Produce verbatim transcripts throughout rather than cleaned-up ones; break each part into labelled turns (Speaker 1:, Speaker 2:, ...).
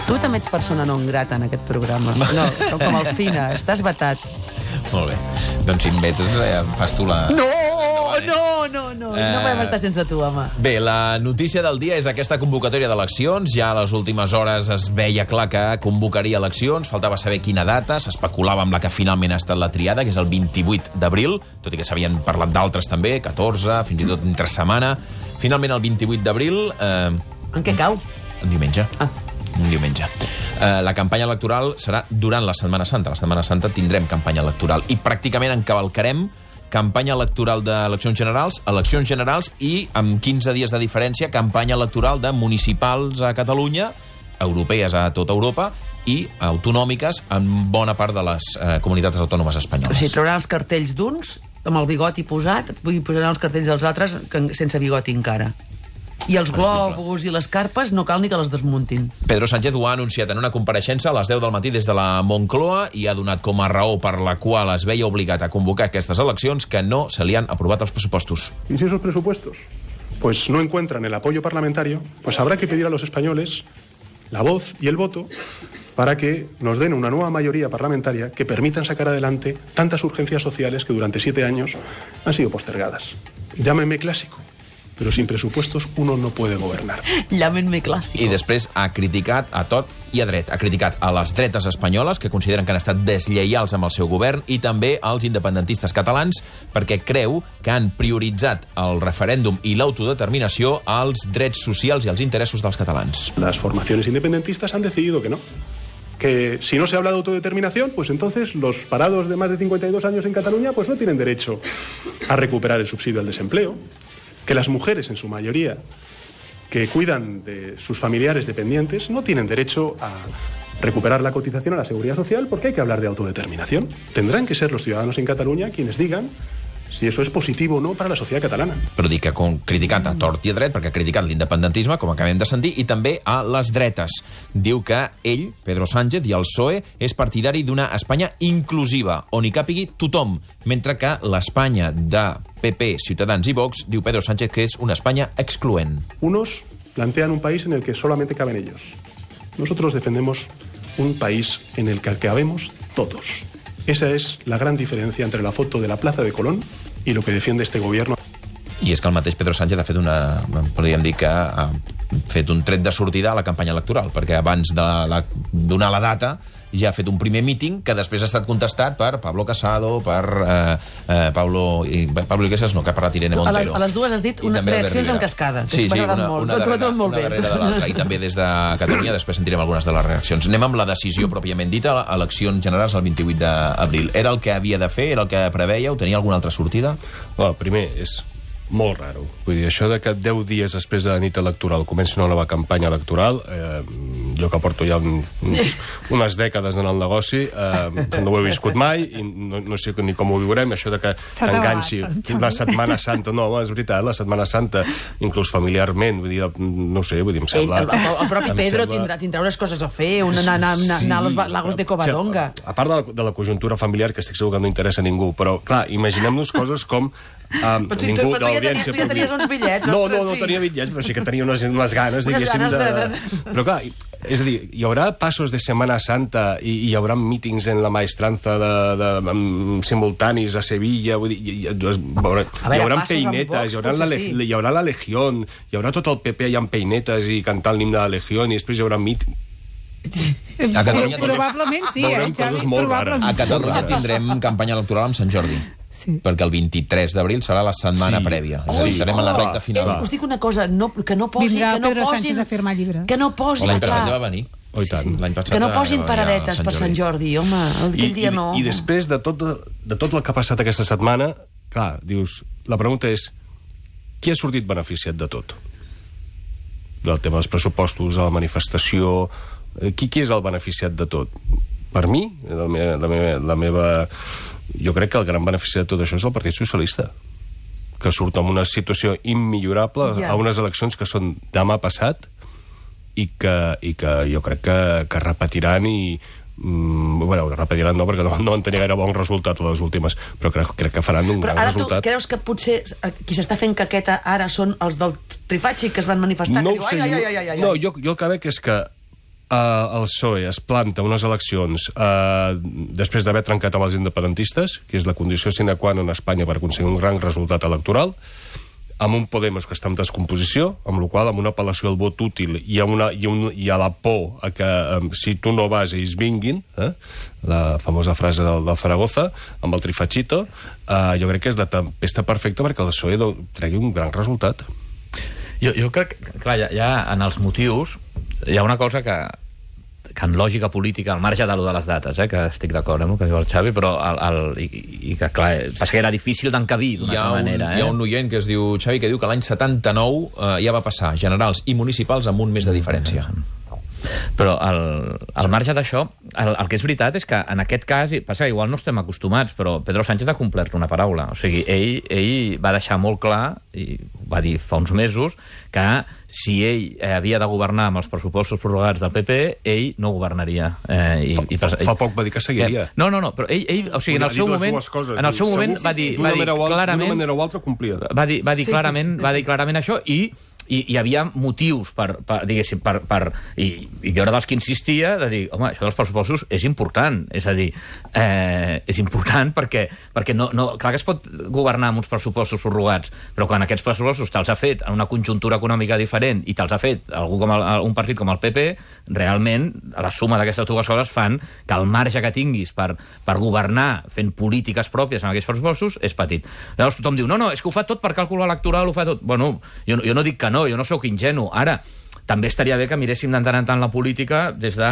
Speaker 1: Tu també ets persona non grata en aquest programa. No, com el Fina, estàs vetat.
Speaker 2: Molt bé. Doncs si em vetes, eh, fas tu la...
Speaker 1: No, no, no, no. Eh... No podem estar sense tu, home.
Speaker 2: Bé, la notícia del dia és aquesta convocatòria d'eleccions. Ja a les últimes hores es veia clar que convocaria eleccions. Faltava saber quina data. S'especulava amb la que finalment ha estat la triada, que és el vint-i-vuit d'abril, tot i que s'havien parlat d'altres també, catorze, fins i tot entre setmana. Finalment, el vint-i-vuit d'abril... Eh...
Speaker 1: En què cau?
Speaker 2: En diumenge.
Speaker 1: Ah.
Speaker 2: Un diumenge. Eh, la campanya electoral serà durant la Setmana Santa. La Setmana Santa tindrem campanya electoral i pràcticament encavalcarem campanya electoral d'eleccions generals, eleccions generals i, amb quinze dies de diferència, campanya electoral de municipals a Catalunya, europees a tota Europa i autonòmiques en bona part de les eh, comunitats autònomes espanyoles.
Speaker 1: O sigui, trauran els cartells d'uns amb el bigoti posat i posaran els cartells dels altres sense bigoti encara. I els globus i les carpes no cal ni que les desmuntin.
Speaker 2: Pedro Sánchez ho ha anunciat en una compareixença a les deu del matí des de la Moncloa i ha donat com a raó per la qual es veia obligat a convocar aquestes eleccions que no se li han aprovat els pressupostos.
Speaker 3: Y si esos presupuestos pues no encuentran el apoyo parlamentario, pues habrá que pedir a los españoles la voz y el voto para que nos den una nueva mayoría parlamentaria que permitan sacar adelante tantas urgencias sociales que durante siete años han sido postergadas. Llámenme clásico, però sin presupuestos uno no puede governar.
Speaker 1: Llámenme clàssic.
Speaker 2: I després ha criticat a tot i a dret. Ha criticat a les dretes espanyoles, que consideren que han estat deslleials amb el seu govern, i també als independentistes catalans, perquè creu que han prioritzat el referèndum i l'autodeterminació als drets socials i als interessos dels catalans.
Speaker 3: Las formaciones independentistas han decidido que no. Que si no se habla de autodeterminación, pues entonces los parados de más de cincuenta y dos años en Cataluña pues no tienen derecho a recuperar el subsidio al desempleo. Que las mujeres, en su mayoría, que cuidan de sus familiares dependientes, no tienen derecho a recuperar la cotización a la Seguridad Social porque hay que hablar de autodeterminación. Tendrán que ser los ciudadanos en Cataluña quienes digan si eso és positiu o no per a la societat catalana.
Speaker 2: Però dic que com criticant a tort i a dret, perquè ha criticat l'independentisme, com acabem de sentir, i també a les dretes. Diu que ell, Pedro Sánchez i el P S O E, és partidari d'una Espanya inclusiva, on hi càpigui tothom, mentre que l'Espanya de P P, Ciutadans i Vox, diu Pedro Sánchez que és una Espanya excloent.
Speaker 3: Unos plantean un país en el que solamente caben ellos. Nosotros defendemos un país en el que cabemos todos. Esa es la gran diferencia entre la foto de la Plaza de Colón y lo que defiende este gobierno.
Speaker 2: I és que el mateix Pedro Sánchez ha fet una... podríem dir que ha fet un tret de sortida a la campanya electoral, perquè abans de la, donar la data ja ha fet un primer míting que després ha estat contestat per Pablo Casado, per eh, eh, Pablo, i, Pablo Iglesias, no, que ha parlat Irene Montero.
Speaker 1: A les, a les dues has dit una, reaccions en cascada, que
Speaker 2: sí,
Speaker 1: m'ha
Speaker 2: sí,
Speaker 1: agradat
Speaker 2: una,
Speaker 1: molt.
Speaker 2: Una, darrere,
Speaker 1: molt
Speaker 2: una
Speaker 1: bé.
Speaker 2: darrere de l'altra. I també des de Catalunya després sentirem algunes de les reaccions. Anem amb la decisió pròpiament dita, eleccions generals el vint-i-vuit d'abril. Era el que havia de fer? Era el que preveia? O tenia alguna altra sortida?
Speaker 4: Bueno, primer, és molt raro. Vull dir, això de que deu dies després de la nit electoral comença una nova campanya electoral, eh, jo que porto ja un, uns, unes dècades en el negoci, eh, no ho he viscut mai, i no, no sé ni com ho viurem, això de que t'enganxi la Setmana Santa. No, és veritat, la Setmana Santa, inclús familiarment, vull dir, no sé, vull dir, em sembla...
Speaker 1: El, el, el propi Pedro sembla... tindrà, tindrà unes coses a fer, una, anar, anar, anar, anar als lagos de Covadonga.
Speaker 4: Sí, a part de la, de la conjuntura familiar, que estic segur que no interessa a ningú, però, clar, imaginem-nos coses com Um,
Speaker 1: però tu, tu, tu, ja tenies, tu ja tenies uns bitllets.
Speaker 4: No, no, no sí. tenia bitllets, però sí que tenia unes, unes ganes,
Speaker 1: unes
Speaker 4: diguéssim,
Speaker 1: ganes de...
Speaker 4: de... de... Però clar, és a dir, hi haurà passos de Setmana Santa i hi haurà mítings en la Maestranza de, de, de, simultanis a Sevilla, vull dir, hi, hi, hi, veure, hi haurà peinetes, hi haurà, la, sí. hi haurà la Legión, hi haurà tot el P P allà amb peinetes i cantant l'himne de la Legión, i després hi haurà mítings.
Speaker 2: A Catalunya
Speaker 5: probablement sí, eh, Xavi? Probablement
Speaker 2: a Catalunya tindrem campanya electoral amb Sant Jordi. Sí. Perquè el vint-i-tres d'abril serà la setmana sí. prèvia. Oh, sí. Estarem oh, a la recta final.
Speaker 1: Eh, us dic una cosa, no, que no posin...
Speaker 5: Vindrà
Speaker 1: que no
Speaker 5: Pedro
Speaker 1: posin,
Speaker 5: Sánchez a firmar llibres.
Speaker 1: Que no posin...
Speaker 2: L'any passat ja va venir.
Speaker 4: Oh, sí, sí.
Speaker 2: Passat
Speaker 1: que no posin paradetes per Sant Jordi, home. Aquell dia no.
Speaker 4: I, I després de tot, de tot el que ha passat aquesta setmana, clar, dius, la pregunta és, qui ha sortit beneficiat de tot? Del tema dels pressupostos, de la manifestació... Qui, qui és el beneficiat de tot? Per mi, la meva, la meva, la meva... jo crec que el gran beneficiat de tot això és el Partit Socialista, que surt en una situació immillorable ja. a unes eleccions que són demà passat i que, i que jo crec que, que repetiran i... Mm, bueno, repetiran no, perquè no, no van tenir gaire bon resultat les últimes, però crec, crec que faran un
Speaker 1: però
Speaker 4: gran
Speaker 1: ara
Speaker 4: resultat.
Speaker 1: Tu creus que potser qui s'està fent caqueta ara són els del Trifacci que es van manifestar?
Speaker 4: No
Speaker 1: que
Speaker 4: ho sé,
Speaker 1: diu, ai, ai, ai, ai, ai.
Speaker 4: no, jo, jo el que veig és que el P S O E es planta unes eleccions uh, després d'haver trencat amb els independentistes, que és la condició sine qua non a Espanya per aconseguir un gran resultat electoral, amb un Podemos que està en descomposició, amb la qual amb una apel·lació al vot útil i a, una, i un, i a la por a que um, si tu no vas ells vinguin, eh? La famosa frase del, del Zaragoza, amb el trifachito, uh, jo crec que és la tempesta perfecta perquè el P S O E tregui un gran resultat.
Speaker 6: Jo, jo crec que, clar, ja, ja en els motius hi ha una cosa que que en lògica política, al marge de lo de les dates, eh, que estic d'acord amb el que diu el Xavi, però el, el, i, i que, clar, passa que era difícil d'encabir d'una manera. Eh?
Speaker 2: Hi ha un oient que es diu, Xavi, que diu que l'any setanta-nou eh, ja va passar generals i municipals amb un mes de diferència.
Speaker 6: Però al, al marge d'això, el, el que és veritat és que en aquest cas, passa que igual no estem acostumats, però Pedro Sánchez ha complert una paraula. O sigui, ell, ell va deixar molt clar, i va dir fa uns mesos, que si ell eh, havia de governar amb els pressupostos prorrogats del P P, ell no governaria. Eh, i,
Speaker 4: fa,
Speaker 6: i,
Speaker 4: fa, fa poc va dir que seguiria.
Speaker 6: Eh, no, no, no, però ell, ell o sigui, en el seu moment,
Speaker 4: coses,
Speaker 6: en el seu moment va dir, va dir clarament...
Speaker 4: D'una manera o altra complia.
Speaker 6: Va dir, va dir, clarament, va dir clarament això i i hi havia motius per, per diguéssim, per, per, i, i jo era dels que insistia de dir, home, això dels pressupostos és important, és a dir, eh, és important perquè, perquè no, no, clar que es pot governar amb uns pressupostos prorrogats, però quan aquests pressupostos te'ls ha fet en una conjuntura econòmica diferent i te'ls ha fet algú com el, un partit com el P P, realment la suma d'aquestes dues coses fan que el marge que tinguis per, per governar fent polítiques pròpies en aquests pressupostos és petit. Llavors tothom diu, no, no, és que ho fa tot per càlcul electoral, ho fa tot. Bueno, jo, jo no dic que no, jo no sóc ingenu. Ara, també estaria bé que miréssim de tant en tant la política des de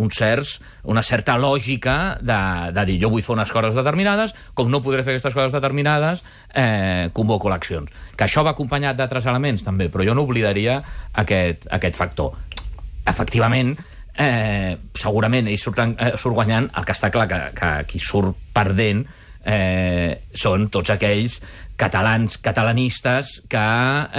Speaker 6: un certs, una certa lògica de, de dir, jo vull fer unes coses determinades, com no podré fer aquestes coses determinades, eh, convoco eleccions. Que això va acompanyat d'altres elements, també, però jo no oblidaria aquest, aquest factor. Efectivament, eh, segurament ell surt, eh, surt guanyant, el que està clar que, que qui surt perdent eh, són tots aquells catalans, catalanistes que,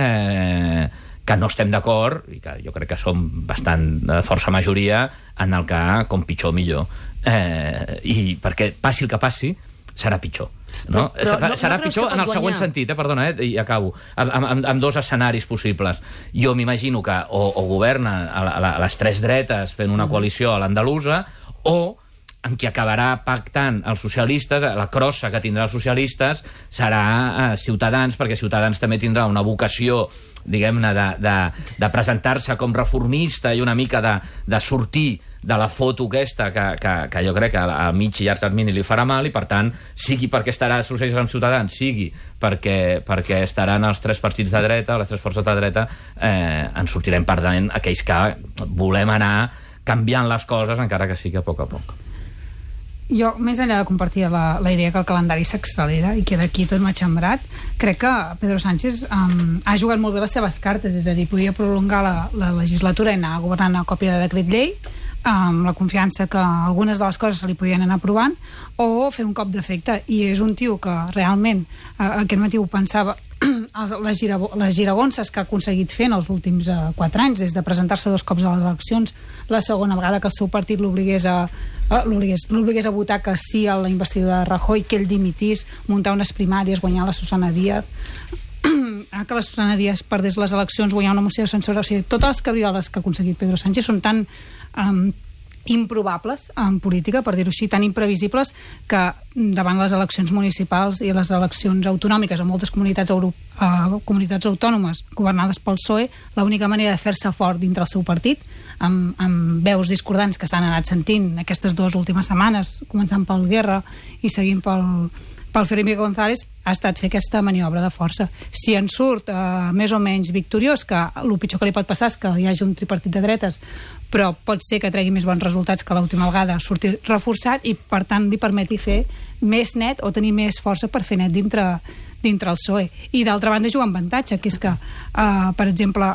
Speaker 6: eh, que no estem d'acord, i que jo crec que som bastant de força majoria, en el que com pitjor millor. Eh, I perquè passi el que passi, serà pitjor. No? Però, però, serà no, no pitjor en el següent guanyar? sentit, eh? Perdona, eh? i acabo, amb, amb, amb dos escenaris possibles. Jo m'imagino que o, o governa a, a, a les tres dretes fent una coalició a l'andalusa, o en qui acabarà pactant els socialistes, la crossa que tindrà els socialistes serà eh, Ciutadans, perquè Ciutadans també tindrà una vocació, diguem-ne, de, de, de presentar-se com reformista i una mica de, de sortir de la foto aquesta que, que, que jo crec que a mig i llarg termini li farà mal, i per tant, sigui perquè estarà socialistes amb Ciutadans, sigui perquè, perquè estaran els tres partits de dreta, les tres forces de dreta, eh, en sortirem perdent aquells que volem anar canviant les coses, encara que sigui a poc a poc.
Speaker 5: Jo, més enllà de compartir la, la idea que el calendari s'accelera i queda aquí tot matxembrat, crec que Pedro Sánchez um, ha jugat molt bé les seves cartes, és a dir, podia prolongar la, la legislatura i anar governant a còpia de decret llei, amb la confiança que algunes de les coses se li podien anar aprovant, o fer un cop d'efecte. I és un tio que realment, eh, aquest matí ho pensava, les, girago les giragonses que ha aconseguit fer en els últims eh, quatre anys, des de presentar-se dos cops a les eleccions, la segona vegada que el seu partit l'obligués a, eh, l'obligués a votar que sí a la investidura de Rajoy, que ell dimitís, muntar unes primàries, guanyar la Susana Díaz, que la Susana Díaz perdés les eleccions, guanyar una moció de censura. O sigui, totes les cabrioles que ha aconseguit Pedro Sánchez són tan um, improbables en política, per dir-ho així, tan imprevisibles, que davant les eleccions municipals i les eleccions autonòmiques en moltes comunitats, Euro uh, comunitats autònomes governades pel P S O E, l'única manera de fer-se fort dintre el seu partit, amb, amb veus discordants que s'han anat sentint aquestes dues últimes setmanes, començant pel Guerra i seguint pel pel Felipe González, ha estat fer aquesta maniobra de força. Si en surt eh, més o menys victoriós, que el pitjor que li pot passar és que hi hagi un tripartit de dretes, però pot ser que tregui més bons resultats que l'última vegada, sortir reforçat i, per tant, li permeti fer més net o tenir més força per fer net dintre, dintre el P S O E. I, d'altra banda, juga amb avantatge, que és que, eh, per exemple,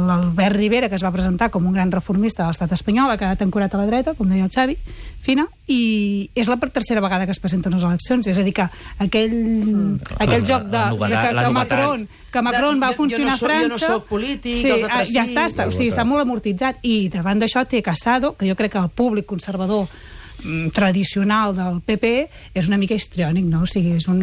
Speaker 5: l'Albert Rivera, que es va presentar com un gran reformista de l'estat espanyol, ha quedat ancorat a la dreta, com deia el Xavi, fina, i és la tercera vegada que es presenten les eleccions. És a dir, que aquell, mm. aquell la, joc de, la novedat, de que, Macron, que Macron de, va funcionar
Speaker 1: jo no soc,
Speaker 5: a França...
Speaker 1: Jo no soc polític,
Speaker 5: sí,
Speaker 1: els altres
Speaker 5: ja està, està, o sigui, està molt amortitzat. I davant d'això té Casado, que jo crec que el públic conservador tradicional del P P és una mica histriònic, no? O sigui, és un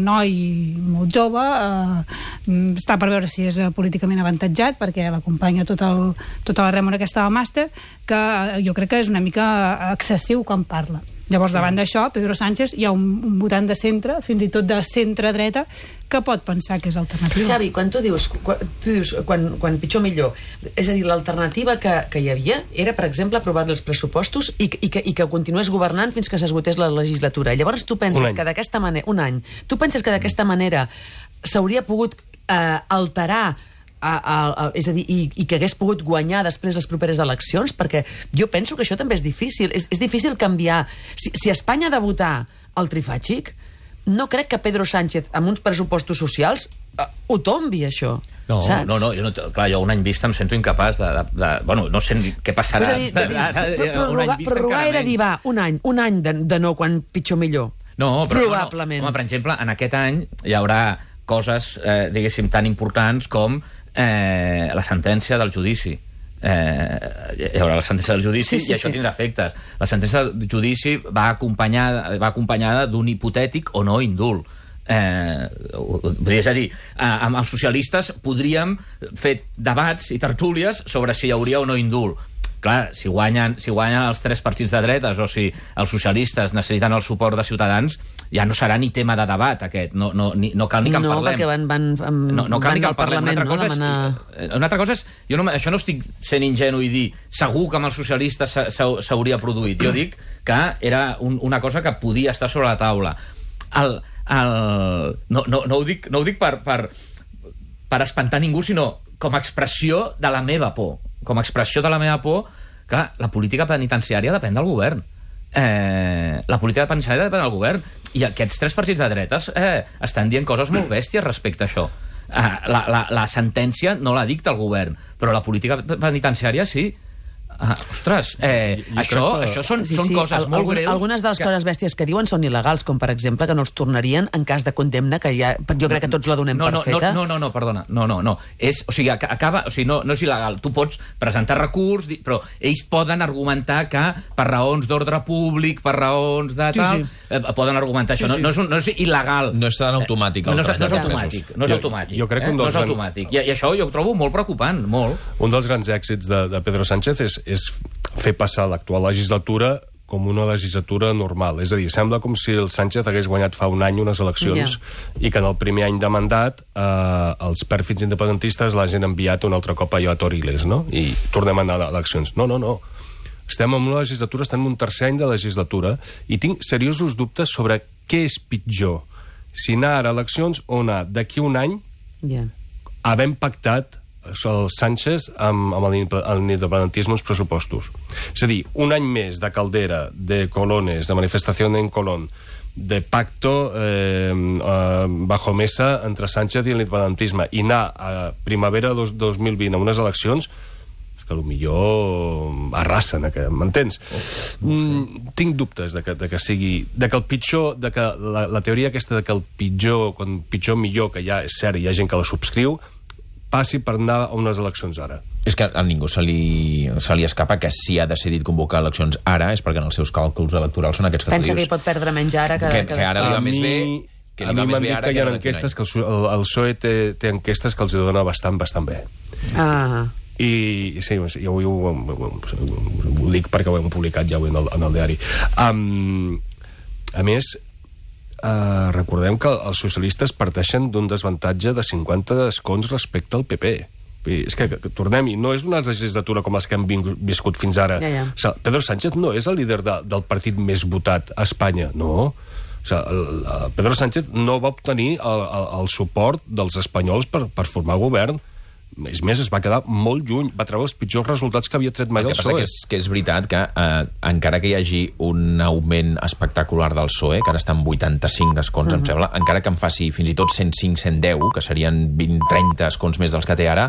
Speaker 5: noi molt jove, eh, està per veure si és políticament avantatjat, perquè l'acompanya tot el, tota la rèmora aquesta del màster, que jo crec que és una mica excessiu quan parla. Llavors, davant d'això, Pedro Sánchez, hi ha un, un votant de centre, fins i tot de centre-dreta, que pot pensar que és alternativa.
Speaker 1: Xavi, quan tu dius, quan, tu dius quan, quan pitjor millor, és a dir, l'alternativa que, que hi havia era, per exemple, aprovar els pressupostos i, i, que, i que continués governant fins que s'esgotés la legislatura. Llavors tu penses que d'aquesta manera... Un any. Tu penses que d'aquesta manera s'hauria pogut eh, alterar A, a, a, és a dir, i, i que hagués pogut guanyar després les properes eleccions, perquè jo penso que això també és difícil. És, és difícil canviar. Si, si Espanya ha de votar el trifàgic, no crec que Pedro Sánchez, amb uns pressupostos socials, uh, ho tombi, això.
Speaker 6: No,
Speaker 1: saps?
Speaker 6: no, no, jo no, clar, jo un any vista em sento incapaç de... de, de bueno, no sé què passarà.
Speaker 1: Pues dir, de dir, prorrogar, prorrogar era dir, va, un any, un any de, de no quan pitjor millor.
Speaker 6: No, però
Speaker 1: probablement.
Speaker 6: No, no. Home, per exemple, en aquest any hi haurà coses, eh, diguéssim, tan importants com eh, la sentència del judici. Eh, hi haurà la sentència del judici, sí, sí, i això sí. tindrà efectes. La sentència del judici va acompanyada, va acompanyada d'un hipotètic o no indult. Eh, és a dir, amb els socialistes podríem fer debats i tertúlies sobre si hi hauria o no indult. Clar, si guanyen, si guanyen els tres partits de dretes o si els socialistes necessiten el suport de Ciutadans, ja no serà ni tema de debat aquest, no, no, ni, no cal ni que en
Speaker 1: no,
Speaker 6: parlem.
Speaker 1: No, perquè van, van, van,
Speaker 6: no, no cal
Speaker 1: van
Speaker 6: ni que
Speaker 1: al Parlament,
Speaker 6: una altra,
Speaker 1: no?
Speaker 6: és, una altra cosa és, jo no, això no estic sent ingenu i dir segur que amb els socialistes s'hauria produït, jo dic que era un, una cosa que podia estar sobre la taula. El, el, no, no, no ho dic, no ho dic per, per, per espantar ningú, sinó com a expressió de la meva por. Com a expressió de la meva por, clar, la política penitenciària depèn del govern. Eh, la política penitenciària depèn del govern. I aquests tres partits de dretes eh, estan dient coses molt bèsties respecte a això. Eh, la, la, la sentència no la dicta el govern, però la política penitenciària sí. Ah, ostres, eh, jo, jo això, que... això són, sí, són sí, coses al, molt
Speaker 1: algun,
Speaker 6: greus.
Speaker 1: Algunes de les que... coses bèsties que diuen són il·legals, com per exemple que no els tornarien en cas de condemna, que ja, jo crec que tots la donem
Speaker 6: no,
Speaker 1: per
Speaker 6: no,
Speaker 1: feta.
Speaker 6: No, no, no, perdona, no, no, no. És, o sigui, acaba, o sigui, no, no és il·legal. Tu pots presentar recurs, però ells poden argumentar que per raons d'ordre públic, per raons de tal, sí, sí. Eh, poden argumentar això. Sí, sí. No, no, és, no és il·legal.
Speaker 2: No és tan automàtic.
Speaker 6: No, no, és, no és automàtic. No és automàtic.
Speaker 4: Jo, jo crec que
Speaker 6: eh?
Speaker 4: un
Speaker 6: dels no és automàtic. I, I això jo ho trobo molt preocupant, molt.
Speaker 4: Un dels grans èxits de, de Pedro Sánchez és, és fer passar l'actual legislatura com una legislatura normal. És a dir, sembla com si el Sánchez hagués guanyat fa un any unes eleccions yeah. i que en el primer any de mandat eh, els pèrfids independentistes l'hagin enviat un altre cop allò a Toriles, no? I tornem a anar a eleccions. No, no, no. Estem en una legislatura, estem en un tercer any de legislatura i tinc seriosos dubtes sobre què és pitjor. Si anar ara a eleccions o anar d'aquí un any yeah. havent pactat el Sánchez amb, amb l'independentisme als pressupostos. És a dir, un any més de caldera, de colones, de manifestació en Colón, de pacto eh, eh, bajo mesa entre Sánchez i l'independentisme, i anar a primavera dos, dos mil vint a unes eleccions, és que potser arrasen, m'entens? Oh, mm, tinc dubtes de que, de que sigui... de que el pitjor... de que la, la teoria aquesta de que el pitjor, quan pitjor millor, que ja és cert, hi ha gent que la subscriu, passi per anar a unes eleccions ara.
Speaker 2: És que a ningú se li, se li escapa que si ha decidit convocar eleccions ara és perquè en els seus càlculs electorals són aquests que
Speaker 1: pensa
Speaker 2: tu dius.
Speaker 1: Pensa que hi pot perdre menys ara que,
Speaker 2: que,
Speaker 1: que,
Speaker 2: que ara li va
Speaker 1: a
Speaker 2: més
Speaker 1: mi,
Speaker 2: bé... Que
Speaker 4: a mi m'han dit que hi ha enquestes que el, el, el P S O E té, té enquestes que els dona bastant, bastant bé.
Speaker 1: Ah...
Speaker 4: I sí, jo ho, ho, ho, ho dic perquè ho hem publicat ja en el, en el diari. Um, a més, uh, recordem que els socialistes parteixen d'un desavantatge de cinquanta escons respecte al P P. És que, que tornem-hi, no és una legislatura com les que hem viscut fins ara.
Speaker 1: Ja, ja.
Speaker 4: O sigui, Pedro Sánchez no és el líder de, del partit més votat a Espanya, no. O sigui, el, el Pedro Sánchez no va obtenir el, el, el suport dels espanyols per, per formar govern. És més, es va quedar molt lluny, va treure els pitjors resultats que havia tret mai el, el P S O E.
Speaker 2: El que passa que és, que és veritat que eh, encara que hi hagi un augment espectacular del P S O E, que ara està en vuitanta-cinc escons, uh-huh. em sembla, encara que en faci fins i tot cent cinc cent deu, que serien vint trenta escons més dels que té ara,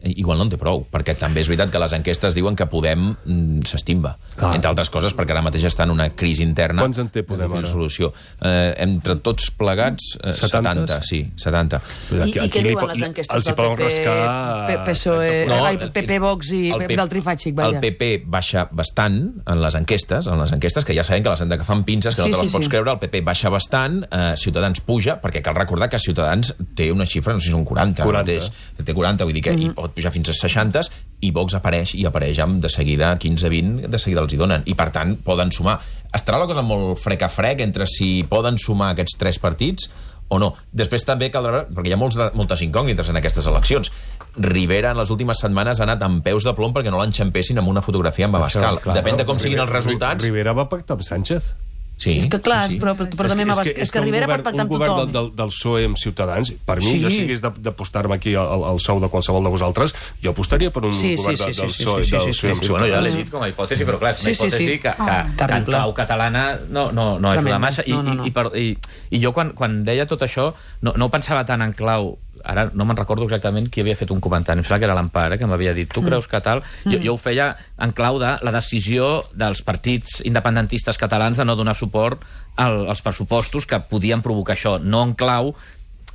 Speaker 2: igual no en té prou, perquè també és veritat que les enquestes diuen que Podem mm, s'estimba, entre altres coses perquè ara mateix està en una crisi interna.
Speaker 4: Quants en té Podem ara?
Speaker 2: Solució. Eh, entre tots plegats, eh, setanta, sí, setanta.
Speaker 1: I, i què diuen les enquestes del P P, P S O E, no, P P, Vox i del Trifàxic?
Speaker 2: El P P baixa bastant en les enquestes, en les enquestes, que ja sabem que les han d'agafar amb pinces, que no te les pots creure, el P P baixa bastant, eh, Ciutadans puja, perquè cal recordar que Ciutadans té una xifra, no sé si són quaranta, mateix, té quaranta, vull dir que mm-hmm. hi pot pujar fins a seixanta, i Vox apareix, i apareix amb de seguida quinze vint, de seguida els hi donen, i per tant poden sumar. Estarà la cosa molt frec a frec entre si poden sumar aquests tres partits o no. Després també caldrà veure, perquè hi ha molts de, moltes incògnites en aquestes eleccions. Rivera en les últimes setmanes ha anat amb peus de plom perquè no l'enxampessin amb una fotografia amb Abascal. Depèn de com siguin els resultats.
Speaker 4: Rivera va pactar amb Sánchez.
Speaker 1: Sí, és que clar, sí, sí. però, però també és, és, que, és que Rivera pot pactar amb tothom.
Speaker 4: Un govern del, del P S O E amb Ciutadans, per mi, sí. jo si hagués d'apostar-me aquí al, al sou de qualsevol de vosaltres, jo apostaria per un sí, govern sí, sí, del P S O E
Speaker 6: sí, sí, sí,
Speaker 4: sí,
Speaker 6: sí, sí, sí. Bueno, ja l'he dit com a hipòtesi, però clar, és una sí, hipòtesi sí, sí. que, que, oh, que en clau catalana no, no, no ajuda massa. I, no, no, no. I, i, per, i, i jo quan, quan deia tot això no, no ho pensava tant en clau. Ara no me'n recordo exactament qui havia fet un comentari, em sembla que era l'Empar, eh, que m'havia dit, tu creus que tal? Mm. Jo, jo ho feia en clau de la decisió dels partits independentistes catalans de no donar suport al, als pressupostos que podien provocar això, no en clau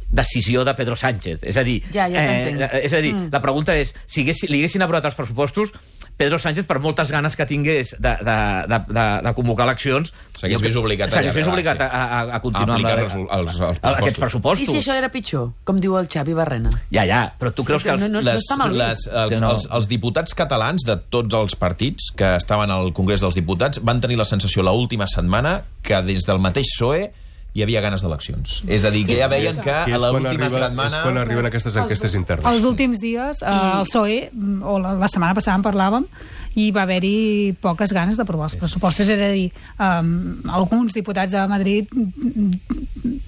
Speaker 6: decisió de Pedro Sánchez. És a dir,
Speaker 1: ja, ja
Speaker 6: eh, és a dir mm. la pregunta és, si hagués, li haguessin aprovat els pressupostos, Pedro Sánchez, per moltes ganes que tingués de, de, de, de, de convocar eleccions,
Speaker 2: s'hagués vist obligat,
Speaker 6: obligat a, a, a continuar
Speaker 2: a
Speaker 6: amb
Speaker 2: els, els, els pressupostos.
Speaker 6: aquests pressupostos.
Speaker 1: I si això era pitjor, com diu el Xavi Barrena?
Speaker 6: Ja, ja, però tu creus que els,
Speaker 1: no, no,
Speaker 2: les,
Speaker 1: no
Speaker 2: les, els, sí, no. els, els diputats catalans de tots els partits que estaven al Congrés dels Diputats van tenir la sensació l'última setmana que des del mateix P S O E hi havia ganes d'eleccions. És a dir, que ja veien que a l'última setmana...
Speaker 4: És quan arriben aquestes enquestes internes.
Speaker 5: Els últims dies, eh, el P S O E, o la, la setmana passada en parlàvem, i va haver-hi poques ganes d'aprovar els pressupostos. És a dir, um, alguns diputats de Madrid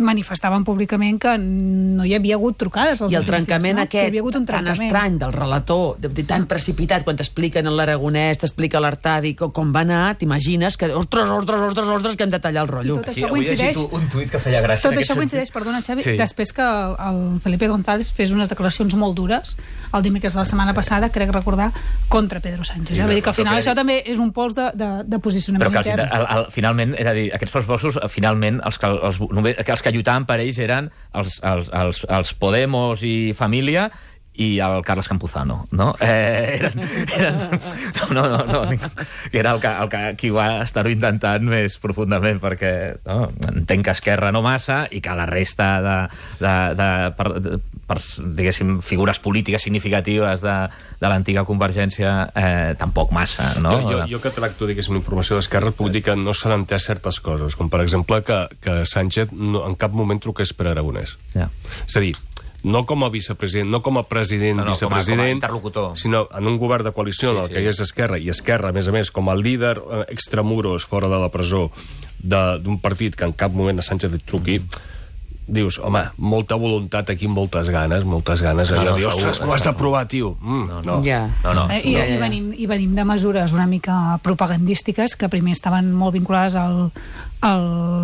Speaker 5: manifestaven públicament que no hi havia hagut trucades.
Speaker 1: I el trencament
Speaker 5: no?
Speaker 1: aquest,
Speaker 5: tan
Speaker 1: trencament. estrany del relator, de, de, tan precipitat, quan t'expliquen en l'Aragonès, t'explica l'Artadi com, com va anar, t'imagines que, ostres, ostres, ostres, ostres, que hem de tallar el rotllo.
Speaker 5: I tot això coincideix...
Speaker 6: un tuit que feia gràcia.
Speaker 5: Tot això coincideix, perdona, Xavi,
Speaker 6: sí.
Speaker 5: després que el Felipe González fes unes declaracions molt dures el dimecres de la setmana sí. passada, crec recordar, contra Pedro Sánchez. Sí, Vull dir que al final això també és un pols de, de, de posicionament
Speaker 6: però que
Speaker 5: intern.
Speaker 6: Però que finalment, és a dir, aquests pressupostos, finalment, els que, els, els que lluitaven per ells eren els, els, els, els Podemos i Família i el Carles Campuzano, no? Eh, eren, eren, no, no, no, no, que era el que, el que qui va estar-ho intentant més profundament, perquè no, entenc que Esquerra no massa i que la resta de, de, de, per, de per, diguéssim, figures polítiques significatives de, de l'antiga Convergència eh, tampoc massa, no?
Speaker 4: Jo, jo, jo que tracto, diguéssim, informació d'Esquerra, puc dir que no s'han entès certes coses, com per exemple que, que Sánchez no, en cap moment truqués per Aragonès.
Speaker 6: Ja.
Speaker 4: És a dir, no com a vicepresident, no com a president, no, no, vicepresident, com a, com a
Speaker 6: interlocutor,
Speaker 4: sinó en un govern de coalició sí, en el sí. que hi és Esquerra, i Esquerra, a més a més, com a líder extramuros fora de la presó d'un partit que en cap moment a Sánchez et truqui, dius, home, molta voluntat aquí, moltes ganes, moltes ganes, allò no, no, de dir, ostres, m'ho has d'aprovar, tio. Mm, no, no.
Speaker 1: Ja.
Speaker 6: no, no.
Speaker 5: Eh, I,
Speaker 6: no.
Speaker 5: I, venim, I venim de mesures una mica propagandístiques que primer estaven molt vinculades al, a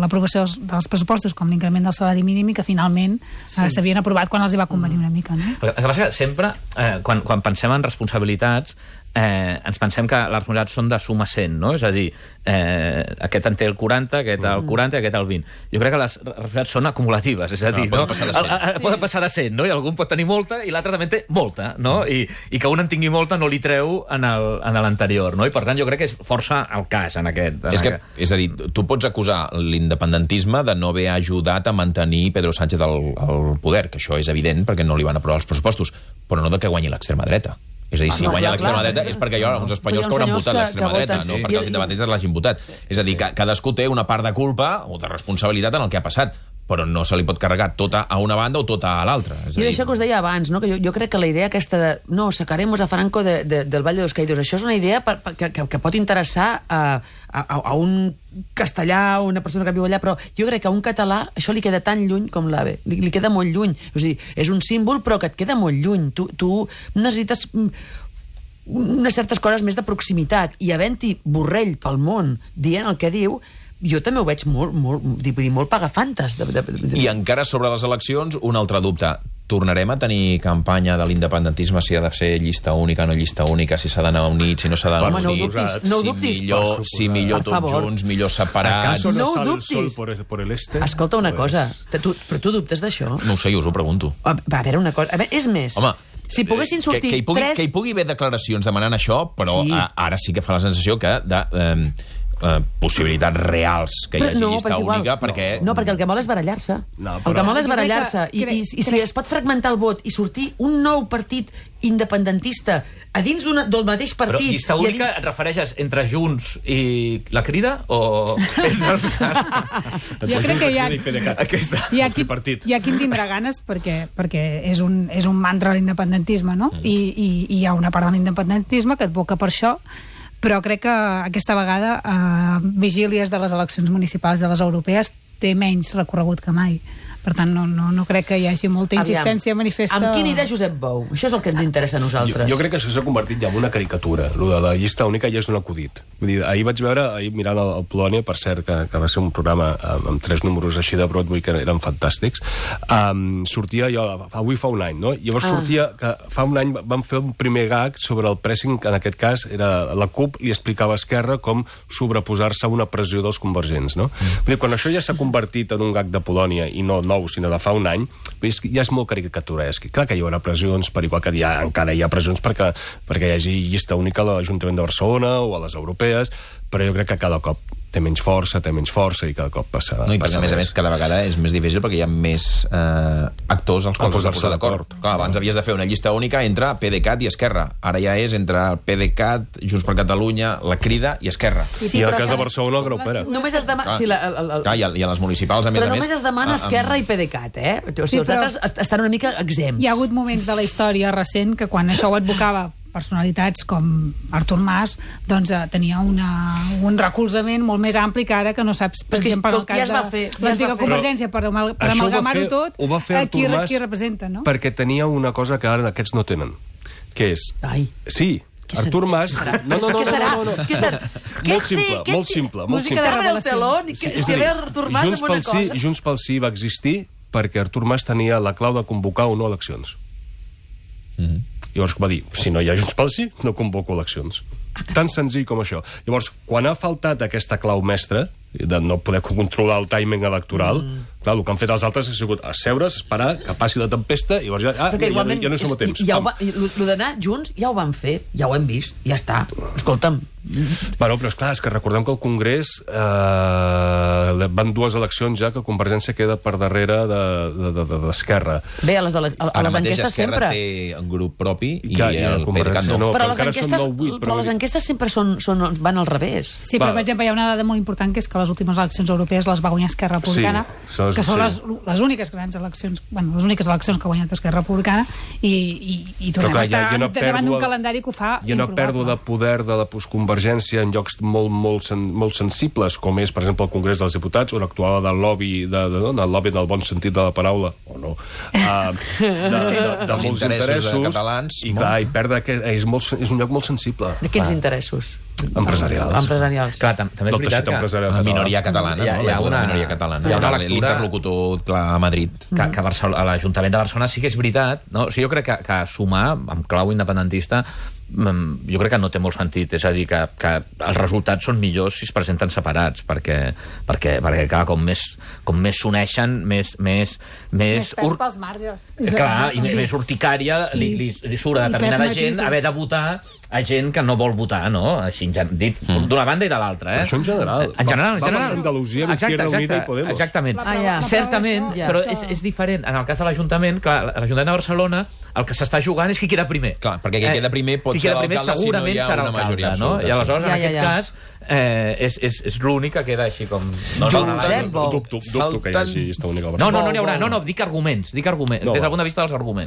Speaker 5: l'aprovació dels, dels pressupostos, com l'increment del salari mínim, i que finalment s'havien sí. eh, aprovat quan els hi va convenir una mica. No?
Speaker 6: El que passa que sempre, eh, quan, quan pensem en responsabilitats, eh, ens pensem que les responsabilitats són de suma cent, no? És a dir, eh, aquest en té el quaranta, aquest el quaranta i aquest el vint. Jo crec que les responsabilitats són acumulatives, és a dir, no?
Speaker 2: no? Poden passar de cent.
Speaker 6: El, el, poden passar de cent, no? I algun pot tenir molta i l'altre també té molta, no? I, i que un en tingui molta no li treu en l'anterior, no? I per tant jo crec que és força el cas en aquest. En
Speaker 2: és, que,
Speaker 6: aquest.
Speaker 2: és a dir, tu pots acusar l'independentisme de no haver ajudat a mantenir Pedro Sánchez al, al poder, que això és evident perquè no li van aprovar els pressupostos, però no de que guanyi l'extrema dreta. És a dir, si ah, guanya l'extrema dreta és perquè hi ha uns espanyols que hauran votat l'extrema dreta, no perquè els independentistes l'hagin votat. És a dir, que cadascú té una part de culpa o de responsabilitat en el que ha passat, però no se li pot carregar tota a una banda o tota a l'altra.
Speaker 1: I això que us deia abans, no? Que jo, jo crec que la idea aquesta de no, sacaremos a Franco de, de, del Valle de los Caídos, això és una idea per, per, que, que pot interessar a, a, a un castellà o una persona que viu allà, però jo crec que a un català això li queda tan lluny com l'AVE, li, li queda molt lluny. És a dir, és un símbol però que et queda molt lluny. Tu, tu necessites unes certes coses més de proximitat, i havent-hi Borrell pel món dient el que diu, jo també ho veig molt, molt, vull dir, molt pagafantes. De, de, de...
Speaker 2: I encara sobre les eleccions, un altre dubte. tornarem a tenir campanya de l'independentisme, si ha de ser llista única, no llista única, si s'ha d'anar units, si no s'ha d'anar
Speaker 1: Home, no ho
Speaker 2: units,
Speaker 1: dubtis, no ho
Speaker 2: si
Speaker 1: dubtis.
Speaker 2: millor, si millor
Speaker 1: Per
Speaker 2: tots
Speaker 1: favor.
Speaker 2: junts, millor separats...
Speaker 3: ¿Acaso
Speaker 1: No
Speaker 3: no
Speaker 1: ho
Speaker 3: sale el
Speaker 1: dubtis.
Speaker 3: sol por el, por el este?
Speaker 1: Escolta una
Speaker 3: Pues-
Speaker 1: cosa, te- tu, però tu dubtes d'això?
Speaker 2: No ho sé, jo us ho pregunto.
Speaker 1: Va, a veure, una cosa... A veure, és més,
Speaker 2: Home,
Speaker 1: si poguessin sortir
Speaker 2: que, que, hi pugui,
Speaker 1: tres...
Speaker 2: que hi pugui haver declaracions demanant això, però
Speaker 1: Sí.
Speaker 2: sí. a, ara sí que fa la sensació que de eh, eh, possibilitats reals que hi
Speaker 1: Però
Speaker 2: hagi
Speaker 1: no,
Speaker 2: llista
Speaker 1: però és igual.
Speaker 2: única, perquè...
Speaker 1: No, perquè el que vol és barallar-se.
Speaker 3: No,
Speaker 1: El
Speaker 3: però-
Speaker 1: que vol és
Speaker 5: Jo crec
Speaker 1: barallar-se.
Speaker 5: que-
Speaker 1: I, i,
Speaker 5: crec-
Speaker 1: I si
Speaker 5: crec-
Speaker 1: es pot fragmentar el vot i sortir un nou partit independentista a dins d'una- del mateix
Speaker 6: Però
Speaker 1: partit...
Speaker 6: llista
Speaker 1: i a
Speaker 6: única
Speaker 1: dins-
Speaker 6: et refereixes entre Junts i la Crida o entre els
Speaker 5: Jo crec que hi ha,
Speaker 6: Aquesta.
Speaker 5: hi ha,
Speaker 3: El
Speaker 5: qui,
Speaker 3: tripartit.
Speaker 5: hi ha qui en tindrà ganes perquè, perquè és, un, és un mantra l'independentisme, no? Mm. I, i, I hi ha una part de l'independentisme que advoca per això, però crec que aquesta vegada eh, vigílies de les eleccions municipals de les europees té menys recorregut que mai. Per tant, no, no, no crec que hi hagi molta insistència
Speaker 1: Aviam,
Speaker 5: manifesta...
Speaker 1: Amb qui anirà Josep Bou? Això és el que ens interessa a
Speaker 3: Jo,
Speaker 1: nosaltres.
Speaker 3: jo crec que això s'ha convertit ja en una caricatura. Lo de la llista única ja és un acudit. Vull dir, ahir vaig veure, ahir mirant el, el Polònia, per cert, que, que va ser un programa amb, amb tres números així de Broadway que eren fantàstics, um, sortia jo, avui fa un any, no? Llavors
Speaker 1: Ah.
Speaker 3: sortia que fa un any vam fer un primer gag sobre el pressing, que en aquest cas era la CUP li explicava a Esquerra com sobreposar-se a una pressió dels convergents, no? Mm. Vull dir, quan això ja s'ha convertit en un gag de Polònia, i no nou, sinó de fa un any, és, ja és molt caricaturesc. Clar que hi haurà pressions, per igual que hi ha, encara hi ha pressions perquè, perquè hi hagi llista única a l'Ajuntament de Barcelona o a les europees, però jo crec que cada cop té menys força, té menys força i cada cop passa...
Speaker 2: No, i perquè,
Speaker 3: passa
Speaker 2: a més a
Speaker 3: més.
Speaker 2: més, cada vegada és més difícil perquè hi ha més eh, actors als quals has de posar d'acord. Clar, abans havies de fer una llista única entre PDeCAT i Esquerra. Ara ja és entre PDeCAT, Junts per Catalunya, la Crida i Esquerra.
Speaker 1: Sí,
Speaker 3: I en el
Speaker 1: però
Speaker 3: cas de
Speaker 1: saps-
Speaker 3: Barcelona, el Grau Pere.
Speaker 1: Només es demana...
Speaker 2: Clar.
Speaker 1: Sí, la, el, el,
Speaker 2: Clar, i, a, i a les municipals, a més
Speaker 1: però
Speaker 2: a més...
Speaker 1: només es demana
Speaker 2: ah,
Speaker 1: Esquerra i PDeCAT, eh? O sigui,
Speaker 5: Sí,
Speaker 1: els
Speaker 5: però-
Speaker 1: altres est- estan una mica exempts.
Speaker 5: Hi ha hagut moments de la història recent que quan això ho advocava personalitats com Artur Mas, doncs eh, tenia una, un recolzament molt més ampli que ara, que no saps, per
Speaker 1: Però és que
Speaker 5: exemple, en el
Speaker 1: ja
Speaker 5: cas
Speaker 1: es va
Speaker 5: de
Speaker 1: fer, ja es
Speaker 5: l'antiga
Speaker 1: va fer.
Speaker 5: Convergència, per, amal per
Speaker 3: Això ho va
Speaker 5: amalgamar-ho
Speaker 3: fer-
Speaker 5: tot,
Speaker 3: ho va fer
Speaker 5: eh, qui,
Speaker 3: Artur Mas
Speaker 5: qui representa, no?
Speaker 3: perquè tenia una cosa que ara aquests no tenen, que és...
Speaker 1: Ai.
Speaker 3: Sí,
Speaker 1: Què
Speaker 3: Artur
Speaker 1: serà?
Speaker 3: Mas... No, no, no,
Speaker 1: Què serà?
Speaker 3: no, no, no.
Speaker 1: Què serà? Què
Speaker 3: Molt simple,
Speaker 1: té- què
Speaker 3: molt
Speaker 1: té-
Speaker 3: simple, molt
Speaker 5: Música
Speaker 3: simple.
Speaker 5: de
Speaker 1: S'abre el
Speaker 5: revelació.
Speaker 1: teló i que,
Speaker 3: és
Speaker 1: si
Speaker 3: a
Speaker 1: ve
Speaker 3: dir,
Speaker 1: Artur Mas
Speaker 3: Junts
Speaker 1: amb una
Speaker 3: pel sí,
Speaker 1: cosa...
Speaker 3: Junts pel sí va existir perquè Artur Mas tenia la clau de convocar o no eleccions.
Speaker 2: Mm -hmm.
Speaker 3: Llavors va dir, si no hi ha Junts pel sí, no convoco eleccions. Tan senzill com això. Llavors, quan ha faltat aquesta clau mestra, de no poder controlar el timing electoral, mm. clar, el que han fet els altres ha sigut asseure's, esperar que passi la tempesta, i llavors ja, ah,
Speaker 1: Perquè
Speaker 3: ja,
Speaker 1: igualment,
Speaker 3: ja no som a temps.
Speaker 1: és- ja ho
Speaker 3: Pam.
Speaker 1: va, el d'anar junts ja ho van fer, ja ho hem vist, ja està. Escolta'm,
Speaker 3: Bueno, però és clar, és que recordem que el Congrés eh, van dues eleccions ja que Convergència queda per darrere d'Esquerra. De, de,
Speaker 1: bé, a les, de la, a, a
Speaker 2: Ara
Speaker 1: les
Speaker 2: mateix
Speaker 1: enquestes
Speaker 2: Esquerra
Speaker 1: sempre...
Speaker 2: té un grup propi i,
Speaker 3: I que- i la
Speaker 2: el PDeCAT
Speaker 3: Convergència
Speaker 2: no.
Speaker 3: no.
Speaker 1: Però,
Speaker 3: però
Speaker 1: les
Speaker 3: encara són
Speaker 1: enquestes,
Speaker 3: nou vuit, però
Speaker 1: però les
Speaker 3: vull dir-
Speaker 1: enquestes sempre són, són, van al revés.
Speaker 5: Sí, però,
Speaker 3: Va.
Speaker 5: per exemple, hi ha una dada molt important, que és que les últimes eleccions europees les va guanyar Esquerra Republicana,
Speaker 3: Sí, això és-
Speaker 5: que són
Speaker 3: sí.
Speaker 5: les, les úniques grans eleccions, bueno, les úniques eleccions que ha guanyat Esquerra Republicana, i, i, i tornem
Speaker 3: clar,
Speaker 5: a estar
Speaker 3: hi ha una
Speaker 5: davant d'un
Speaker 3: pèrdua-
Speaker 5: calendari que ho fa
Speaker 3: Hi ha una
Speaker 5: improbable.
Speaker 3: pèrdua de poder de la postconvergència en llocs molt, molt, sen, molt sensibles, com és, per exemple, el Congrés dels Diputats, on actuava del lobby, de, de, de, del lobby del bon sentit de la paraula, o no, uh, de, de, de, de
Speaker 2: Els
Speaker 3: molts
Speaker 2: interessos
Speaker 3: interessos,
Speaker 2: de catalans,
Speaker 3: i
Speaker 2: molt.
Speaker 3: clar, i perdre aquest, és, molt, és un lloc molt sensible.
Speaker 1: De quins
Speaker 3: Clar.
Speaker 1: interessos?
Speaker 3: Empresarials.
Speaker 1: Empresarials.
Speaker 6: Clar, tam també és
Speaker 3: Del
Speaker 6: veritat
Speaker 3: teixit
Speaker 6: que...
Speaker 3: empresarial
Speaker 2: La
Speaker 3: català.
Speaker 2: minoria catalana,
Speaker 6: Hi ha-
Speaker 2: no?
Speaker 6: hi ha
Speaker 2: L'època de
Speaker 6: una-
Speaker 2: minoria catalana.
Speaker 6: hi ha una
Speaker 2: Era
Speaker 6: lectura-
Speaker 2: l'interlocutor clar, a Madrid.
Speaker 6: que, que a, Barcelona, a l'Ajuntament de Barcelona sí que és veritat, no? O sigui, jo crec que, que sumar amb clau independentista mm, jo crec que no té molt sentit, és a dir, que, que els resultats són millors si es presenten separats, perquè, perquè, perquè clar, com més com més s'uneixen, més més, més,
Speaker 5: Més pes pels marges.
Speaker 6: Eh, clar, i
Speaker 5: Sí.
Speaker 6: més, més urticària li, li, li surt a
Speaker 5: I
Speaker 6: determinada
Speaker 5: pes
Speaker 6: gent
Speaker 5: matisos.
Speaker 6: haver de votar a gent que no vol votar, no? Així, en gen- dit, mm. d'una banda i de l'altra, eh?
Speaker 3: Però això en general.
Speaker 6: En general, en
Speaker 3: Va- va
Speaker 6: general.
Speaker 3: passar a Andalusia amb
Speaker 6: Exacte,
Speaker 3: Izquierda Unida
Speaker 6: exacte,
Speaker 3: i Podemos.
Speaker 6: Exactament.
Speaker 1: Ah, ja.
Speaker 6: Certament,
Speaker 5: Ja.
Speaker 6: però és, és diferent. En el cas de l'Ajuntament, clar, l'Ajuntament de Barcelona, el que s'està jugant és qui queda primer.
Speaker 2: Clar, perquè qui queda primer pot
Speaker 6: qui
Speaker 2: ser
Speaker 6: queda primer
Speaker 2: l'alcalde si no
Speaker 6: segurament
Speaker 2: hi ha
Speaker 6: serà
Speaker 2: una majoria
Speaker 6: alcalde, no?
Speaker 2: absoluta,
Speaker 6: I aleshores,
Speaker 1: sí.
Speaker 6: en
Speaker 1: Ja, ja,
Speaker 6: aquest
Speaker 1: ja.
Speaker 6: cas, eh, és, és, és l'únic que queda així com... No,
Speaker 1: Junts,
Speaker 6: no,
Speaker 1: eh? Bo.
Speaker 3: Dubto, dubto que hi
Speaker 2: Falten-
Speaker 3: hagi llista única a
Speaker 6: no,
Speaker 3: Barcelona.
Speaker 6: no, no n'hi haurà.
Speaker 1: Bo,
Speaker 6: No,
Speaker 1: bo.
Speaker 6: no, dic arguments, dic arguments,
Speaker 3: No,
Speaker 6: des
Speaker 3: va.
Speaker 6: del punt de vista dels arguments.